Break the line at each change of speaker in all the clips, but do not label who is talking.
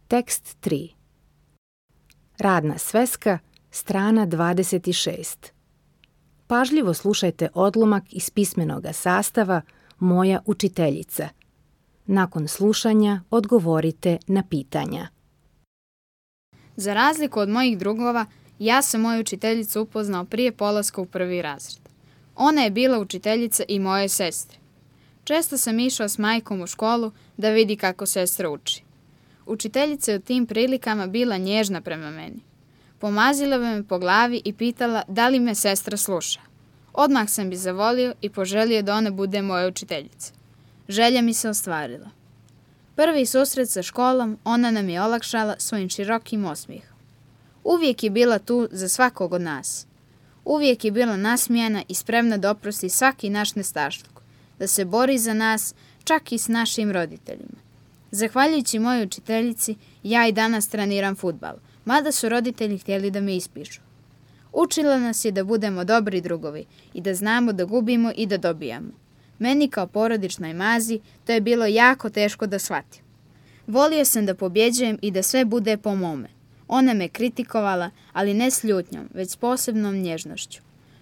Tekst 3. Radna sveska, strana 26. Pažljivo slušajte odlomak iz pismenoga sastava Moja učiteljica. Nakon slušanja odgovorite na pitanja.
Za razliku od mojih drugova, ja sam moju učiteljicu upoznao prije polaska u 1. razred. Ona je bila učiteljica i moje sestre. Često sam išao s majkom u školu da vidi kako sestra uči. Učiteljica je u tim prilikama bila nježna prema meni. Pomazila bi me po glavi i pitala da li me sestra sluša. Odmah sam bi zavolio i poželio da ona bude moja učiteljica. Želja mi se ostvarila. Prvi susret sa školom ona nam je olakšala svojim širokim osmijehom. Uvijek je bila tu za svakog od nas. Uvijek je bila nasmijana i spremna da oprosti svaki naš nestašluk, da se bori za nas, čak i s našim roditeljima. Zahvaljujući mojoj učiteljici, ja i danas treniram fudbal, mada su roditelji htjeli da me ispišu. Učila nas je da budemo dobri drugovi i da znamo da gubimo i da dobijamo. Meni kao porodičnoj mazi to je bilo jako teško da shvatim. Volio sam da pobjeđujem i da sve bude po mome. Ona me kritikovala, ali ne s ljutnjom, već s posebnom nježnošću.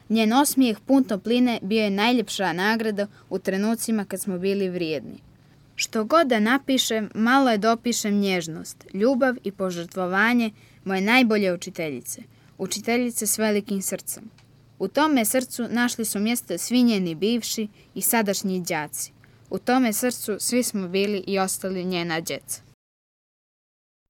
Njen osmijeh pun topline bio je najljepša nagrada u trenucima kad smo bili vrijedni. Što god da napišem, malo je dopišem nježnost, ljubav i požrtvovanje moje najbolje učiteljice. Učiteljice s velikim srcem. U tome srcu našli su mjesto svi njeni bivši i sadašnji đaci. U tome srcu svi smo bili i ostali njena djeca.